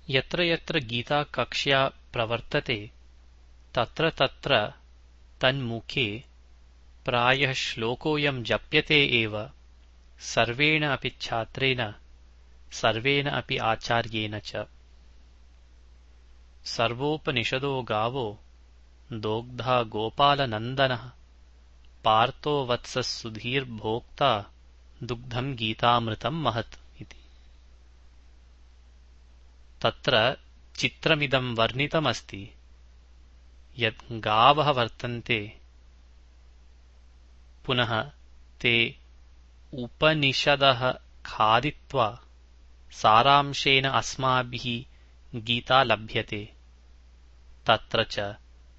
यत्र यत्र गीता कक्ष्या प्रवर्तते तत्र तत्र तन्मुखे प्रायः श्लोकोऽयं जप्यते एव सर्वेण अपि छात्रेण सर्वेण अपि आचार्येण च। सर्वोपनिषदो गावो दोग्धा गोपालनन्दनः पार्थो वत्सः सुधीर्भोक्ता दुग्धं गीतामृतं महत् इति। तत्र चित्रमिदं वर्णितमस्ति यत् गावः वर्तन्ते पुनः ते उपनिषदः खादित्वा सारांशेन अस्माभिः गीता लभ्यते। तत्र च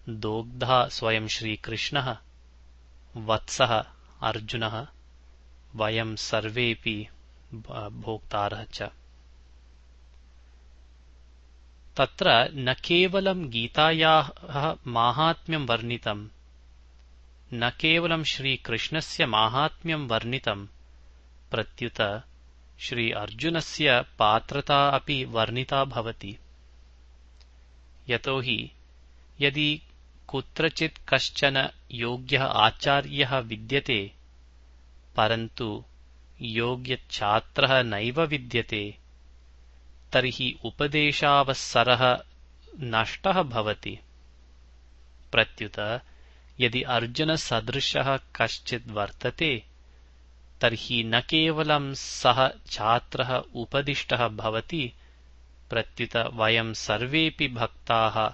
दोग्धा स्वयं श्रीकृष्णः, वत्सः अर्जुनः, वयं सर्वेऽपि भोक्तारः च। तत्र न केवलं गीतायाः माहात्म्यं वर्णितं, न केवलं श्रीकृष्णस्य माहात्म्यं वर्णितं, प्रत्युत श्री अर्जुनस्य पात्रता अपि वर्णिता भवति। यतो हि यदि कुत्रचित् कश्चन योग्यः आचार्यः विद्यते परन्तु योग्यछात्रः नैव विद्यते तर्हि उपदेशावसरः नष्टः भवति। प्रत्युत यदि अर्जुनसदृशः कश्चित् वर्तते तर्हि न केवलं सः छात्रः उपदिष्टः भवति, प्रत्युत वयं सर्वेऽपि भक्ताः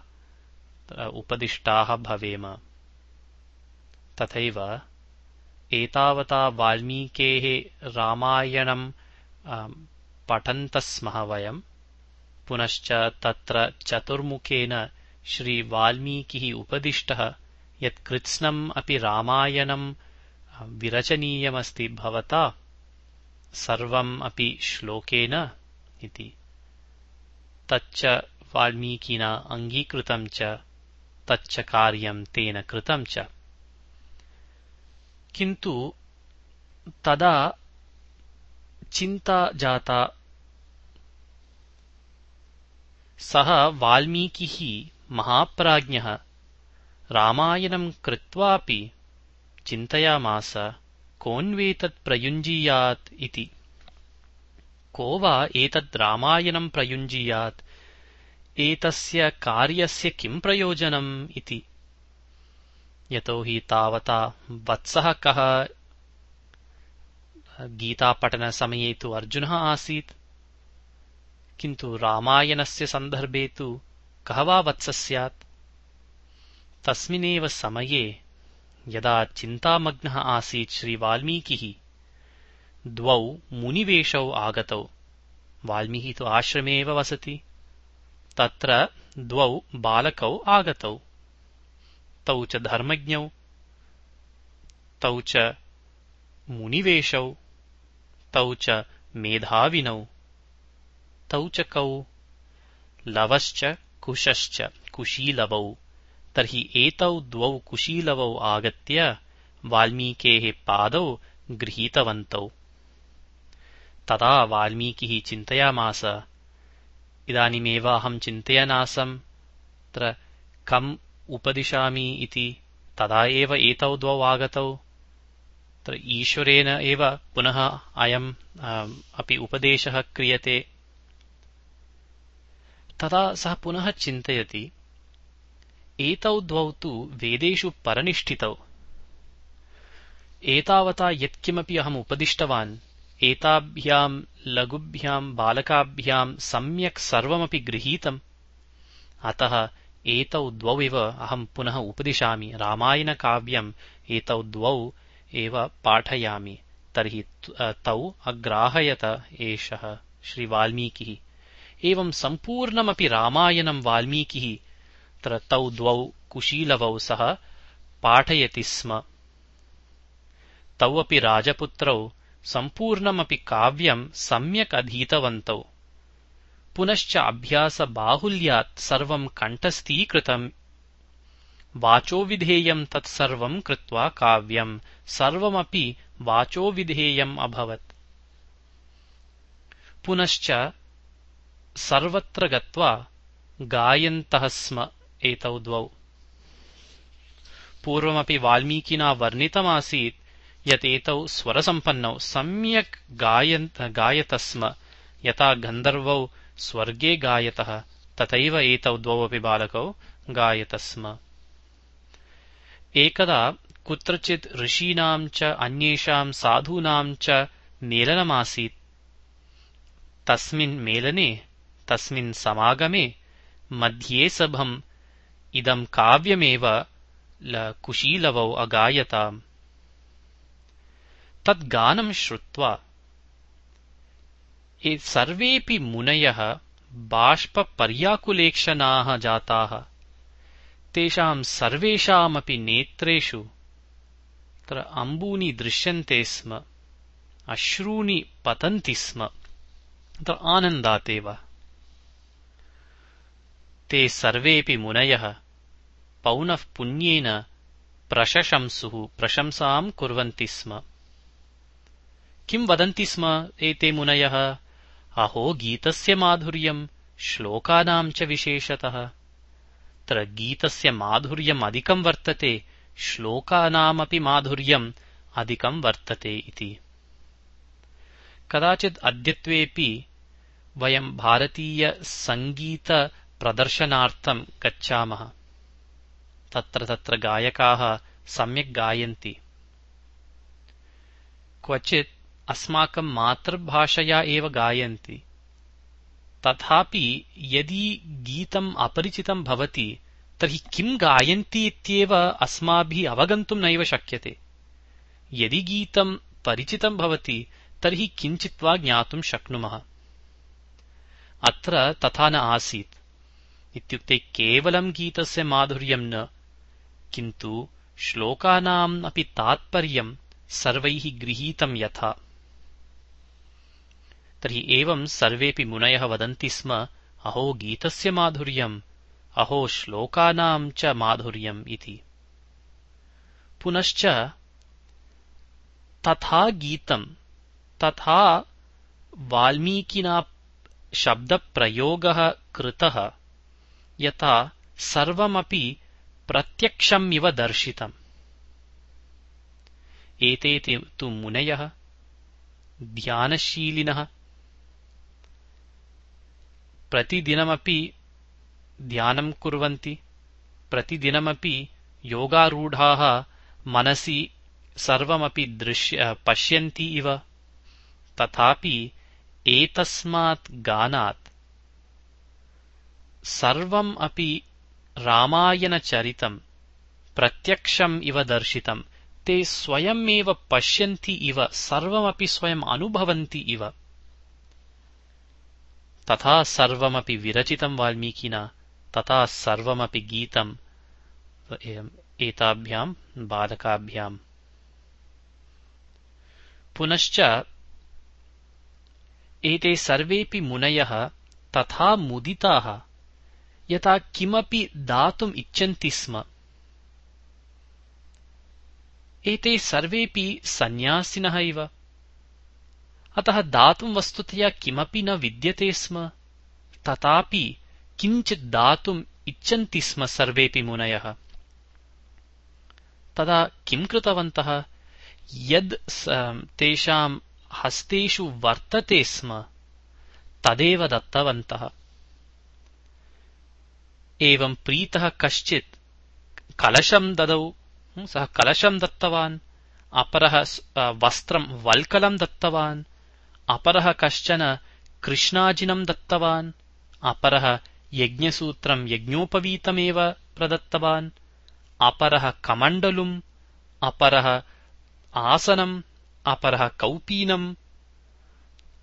उपदिष्टाः भवेम। तथैव एतावता वाल्मीकेः रामायणं पठन्तः स्मः वयं, पुनश्च तत्र चतुर्मुखेन श्रीवाल्मीकिः उपदिष्टः यत् कृत्स्नम् अपि रामायणं विरचनीयमस्ति भवता सर्वम् अपि श्लोकेन इति। तच्च वाल्मीकिना अङ्गीकृतं च तच्च कार्यं तेन कृतं च। किन्तु तदा चिन्ता जाता, सः वाल्मीकिः महाप्राज्ञः रामायणं कृत्वापि चिन्तयामास कोऽन्वेतत् प्रयुञ्जीयात् इति। को वा एतत् रामायणं प्रयुञ्जीयात्, एतस्य कार्यस्य किं प्रयोजनम् इति। यतो हि तावता वत्सः कः, गीतापठनसमये तु अर्जुनः आसीत्, किन्तु रामायणस्य सन्दर्भे तु कः वा वत्सः स्यात्। तस्मिन्नेव समये यदा चिन्तामग्नः आसीत् श्रीवाल्मीकिः, द्वौ मुनिवेशौ आगतौ। वाल्मीकिः तु आश्रमे एव वसति। तत्र द्वौ बालकौ आगतौ, तौ च धर्मज्ञौ, तौ च मुनिवेशौ, तौ च मेधाविनौ, तौ च कौ लवश्च कुशश्च कुशीलवौ। तर्हि एतौ द्वौ कुशीलवौ आगत्य वाल्मीकेः पादौ गृहीतवन्तौ। तदा वाल्मीकिः चिन्तयामास, इदानीमेव अहं चिन्तयन् तत्र कम् उपदिशामि इति। तदा एव एतौ द्वौ आगतौ। तत्र ईश्वरेण एव पुनः अयम् अपि उपदेशः क्रियते। तदा सः पुनः चिन्तयति, एतौ द्वौ तु वेदेषु परनिष्ठितौ। एतावता यत्किमपि अहम् उपदिष्टवान् एताभ्यां लघुभ्यां बालकाभ्यां सम्यक् सर्वमपि गृहीतम्। अतः एतौ द्वौ एव अहम् पुनः उपदिशामि, रामायणकाव्यम् एतौ द्वौ एव पाठयामि। तर्हि तौ अग्राहयत एषः श्रीवाल्मीकिः। एवं सम्पूर्णमपि रामायणं वाल्मीकिः तौ द्वौ कुशीलवौ सह पाठयति स्म। तौ अपि राजपुत्रौ सम्पूर्णमपि काव्यं सम्यक् अधीतवन्तौ। पुनश्च अभ्यासबाहुल्यात् सर्वं कण्ठस्थीकृतम्। वाचोविधेयं तत्सर्वं कृत्वा काव्यं सर्वमपि वाचोविधेयम् अभवत्। पुनश्च सर्वत्र गत्वा गायन्तः स्म एतौ द्वौ। पूर्वमपि वाल्मीकिना वर्णितमासीत् यत् एतौ स्वरसम्पन्नौ सम्यक् गायतः स्म। यथा गन्धर्वौ स्वर्गे गायतः तथैव एतौ द्वौ अपि बालकौ गायतः स्म। एकदा कुत्रचित् ऋषीणां च अन्येषां साधूनां च मेलनमासीत्। तस्मिन् मेलने, तस्मिन् समागमे मध्ये सभम् इदं काव्यमेव कुशीलवौ अगायताम्। तद् गानं श्रुत्वा सर्वेऽपि मुनयः बाष्पपर्याकुलेक्षणाः जाताः। तेषां सर्वेषामपि नेत्रेषु अम्बूनि दृश्यन्ते स्म, अश्रूणि पतन्ति स्म आनन्दातेव। ते सर्वेऽपि मुनयः पौनःपुन्येन प्रशशंसुः, प्रशंसां कुर्वन्ति स्म। किं वदन्ति स्म एते मुनयः? अहो गीतस्य माधुर्यं, श्लोकानां च विशेषतः। तत्र गीतस्य माधुर्यम् अधिकं वर्तते, श्लोकानामपि माधुर्यम् अधिकं वर्तते इति। कदाचित् अद्यत्वेऽपि वयं भारतीयसङ्गीतप्रदर्शनार्थं गच्छामः। तत्र गायकाः सम्यक् गायन्ति। क्वचित् अस्माकं मातृभाषया एव गायन्ति। तथापि यदि गीतम् अपरिचितं भवति तर्हि किं गायन्ति इत्येव अस्माभिः अवगन्तुं नैव शक्यते। यदि गीतं परिचितं भवति तर्हि किञ्चित् वा ज्ञातुं शक्नुमः। अत्र तथा न आसीत्। इत्युक्ते केवलं गीतस्य माधुर्यं न, किन्तु श्लोकानाम् अपि तात्पर्यं सर्वैः गृहीतं यथा। तर्हि एवं सर्वेऽपि मुनयः वदन्ति स्म, अहो गीतस्य माधुर्यम्, अहो श्लोकानां च माधुर्यम् इति। पुनश्च तथा गीतं, तथा वाल्मीकिना शब्दप्रयोगः कृतः यथा सर्वमपि प्रत्यक्षम् इव दर्शितम्। एते तु मुनयः ध्यानशीलिनः, प्रतिदिनमपि ध्यानं कुर्वन्ति, प्रतिदिनमपि योगारूढाः मनसि सर्वमपि पश्यन्ति इव। तथापि एतस्मात् गानात् सर्वम् अपि रामायणचरितं प्रत्यक्षम् इव दर्शितं। ते स्वयमेव पश्यन्ति इव, सर्वमपि स्वयम् अनुभवन्ति इव। तथा सर्वमपि विरचितं वाल्मीकिना, तथा सर्वमपि गीतम् एताभ्यां बालकाभ्याम्। पुनश्च एते सर्वेऽपि मुनयः तथा मुदिताः यथा किमपि दातुम् इच्छन्ति स्म। एते सर्वेऽपि सन्न्यासिनः इव, अतः दातुं वस्तुतया किमपि न विद्यते स्म। तथापि किञ्चित् दातुम् इच्छन्ति स्म सर्वेऽपि मुनयः। तदा किं कृतवन्तः? यद् तेषां हस्तेषु वर्तते स्म तदेव दत्तवन्तः। एवं प्रीतः कश्चित् कलशं ददौ, सः कलशं दत्तवान्। अपरः वस्त्रं वल्कलं दत्तवान्। अपरः कश्चन कृष्णाजिनं दत्तवान्। अपरः यज्ञसूत्रं यज्ञोपवीतमेव प्रदत्तवान्। अपरः कमण्डलुम्, अपरः आसनम्, अपरः कौपीनम्,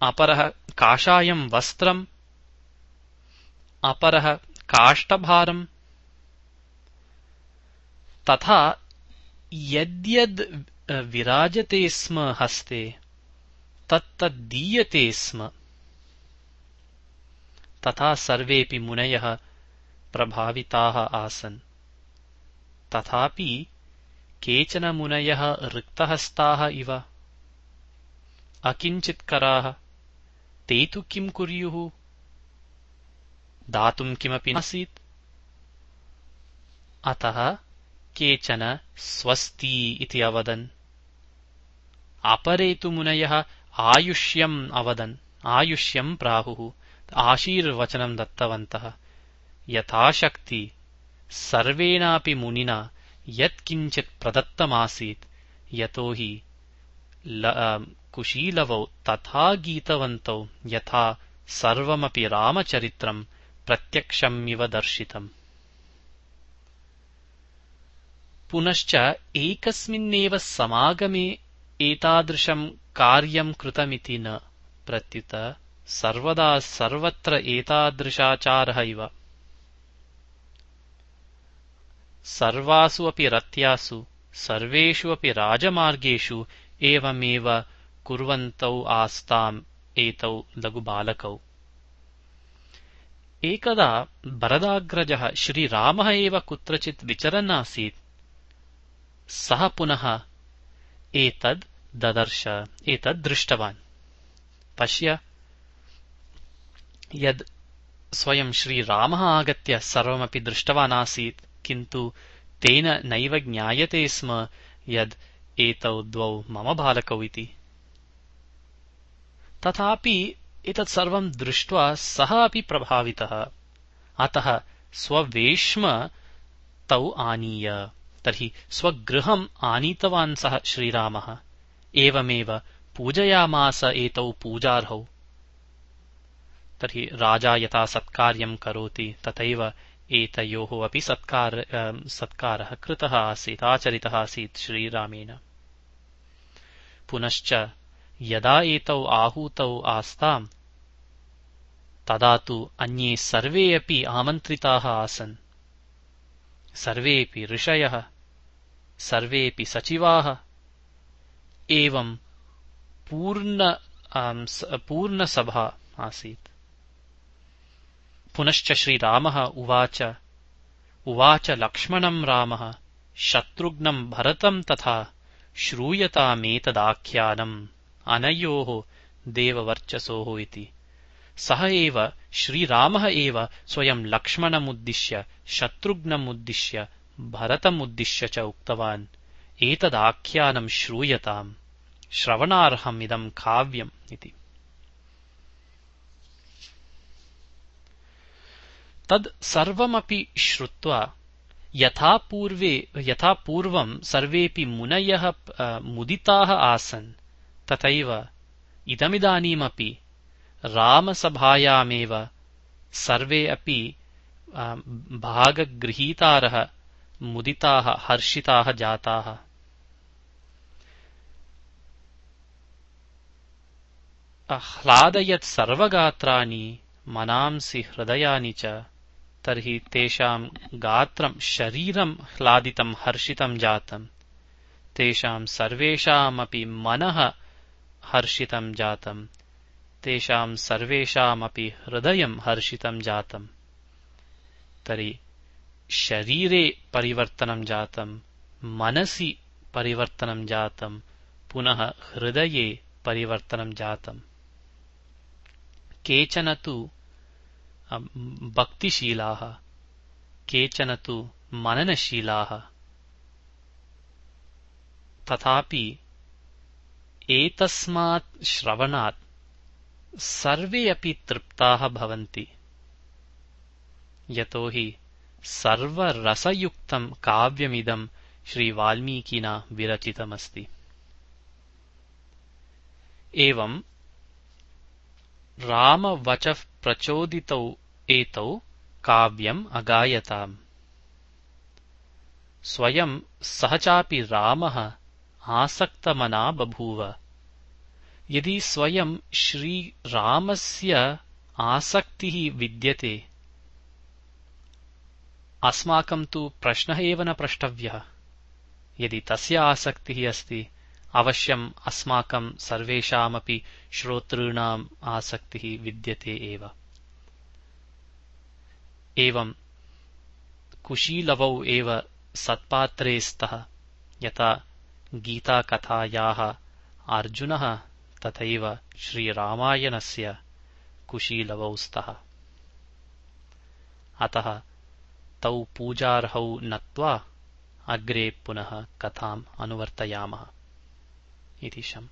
अपरः काषायं वस्त्रम्, अपरः काष्ठभारम्। तथा यद्यद् विराजते स्म हस्ते तत्तद्दीयते स्म। तथा सर्वेऽपि मुनयः प्रभाविताः आसन्। तथापि केचन मुनयः रिक्तहस्ताः इव, अकिञ्चित्कराः। ते तु किं कुर्युः? दातुं किमपि नासीत्। अतः केचन स्वस्ति इति अवदन्। अपरे तु मुनयः आयुष्यम् अवदन्, आयुष्यम् प्राहुः, आशीर्वचनं दत्तवन्तः। यथाशक्ति सर्वेणापि मुनिना यत्किञ्चित् प्रदत्तमासीत्, यतो हि कुशीलवौ तथा गीतवन्तौ यथा सर्वमपि रामचरित्रम् प्रत्यक्षमिव दर्शितम्। पुनश्च एकस्मिन्नेव समागमे एतादृशम् कार्यम् कृतमिति न, प्रत्युत सर्वदा सर्वत्र एतादृशाचारः इव। सर्वासु अपि रत्यासु सर्वेषु अपि राजमार्गेषु एवमेव कुर्वन्तौ आस्ताम् एतौ लघुबालकौ। एकदा भरदाग्रजः श्रीरामः एव कुत्रचित् विचरन् आसीत्। सः पुनः एतद् ददर्श, एतद् दृष्टवान्। पश्य, यद् स्वयं श्रीरामः आगत्य सर्वमपि दृष्टवान् आसीत्, किन्तु तेन नैव ज्ञायते स्म यद् एतौ द्वौ मम बालकौ इति। तथापि एतत् सर्वं दृष्ट्वा सः अपि प्रभावितः। अतः स्ववेश्म तौ आनीय, तर्हि स्वगृहम् आनीतवान् सः श्रीरामः। एवमेव पूजयामास एतौ पूजार्हौ। तर्हि राजा यथा सत्कार्यं करोति तथैव एतयोः अपि सत्कारः कृतः आसीत्, आचरितः आसीत् श्रीरामेण। पुनश्च यदा एतौ आहूतौ आस्ताम्, तदा तु अन्ये सर्वे अपि आमन्त्रिताः आसन्। सर्वेऽपि ऋषयः, सर्वेऽपि सचिवाः, एवं पूर्णसभा आसीत्। पुनश्च श्रीरामः उवाच लक्ष्मणम् रामः शत्रुघ्नम् भरतम् तथा श्रूयतामेतदाख्यानम् अनयोः देववर्चसोः इति। सः एव श्रीरामः एव स्वयं लक्ष्मणमुद्दिश्य, शत्रुघ्नमुद्दिश्य, भरतमुद्दिश्य च उक्तवान्, एतदाख्यानम् श्रूयताम्, श्रवणार्हमिदम् काव्यम् इति। तद् सर्वमपि श्रुत्वा यथा पूर्वं सर्वेऽपि मुनयः मुदिताः आसन्, तथैव इदमिदानीमपि रामसभायामेव सर्वे अपि भागगृहीतारः मुदिताः, हर्षिताः जाताः। आह्लादयत् सर्वगात्राणि मनांसि हृदयानि च, तर्हि तेषाम् गात्रम् शरीरम् ह्लादितम् हर्षितम् जातम्, तेषाम् सर्वेषामपि मनः हर्षितम् जातम्, तेषाम् सर्वेषामपि हृदयम् हर्षितम् जातम्। तर्हि शरीरे परिवर्तनं जातम्, मनसि परिवर्तनं जातम्, पुनः हृदये परिवर्तनं जातम्। केचन तु भक्तिशीलाः, केचन तु मननशीलाः, तथापि एतस्मात् श्रवणात् सर्वे अपि तृप्ताः भवन्ति, यतो हि सर्वरसयुक्तं काव्यमिदं श्रीवाल्मीकिना विरचितमस्ति। एवं रामवचः प्रचोदितौ एतौ काव्यम् अगायताम्। स्वयं सः चापि रामः आसक्तमना बभूव। यदि स्वयं श्रीरामस्य आसक्तिः विद्यते, अस्माकं तु प्रश्नः एव न प्रष्टव्यः। यदि तस्य आसक्तिः अस्ति, अवश्यम् अस्माकं सर्वेषामपि श्रोतॄणाम् आसक्तिः विद्यते एव। एवं कुशीलवौ एव सत्पात्रे स्तः, यथा गीताकथायाः अर्जुनः तथैव श्रीरामायणस्य कुशीलवौ स्तः। अतः तौ पूजार्हौ नत्वा अग्रे पुनः कथाम् अनुवर्तयामः इति शम्।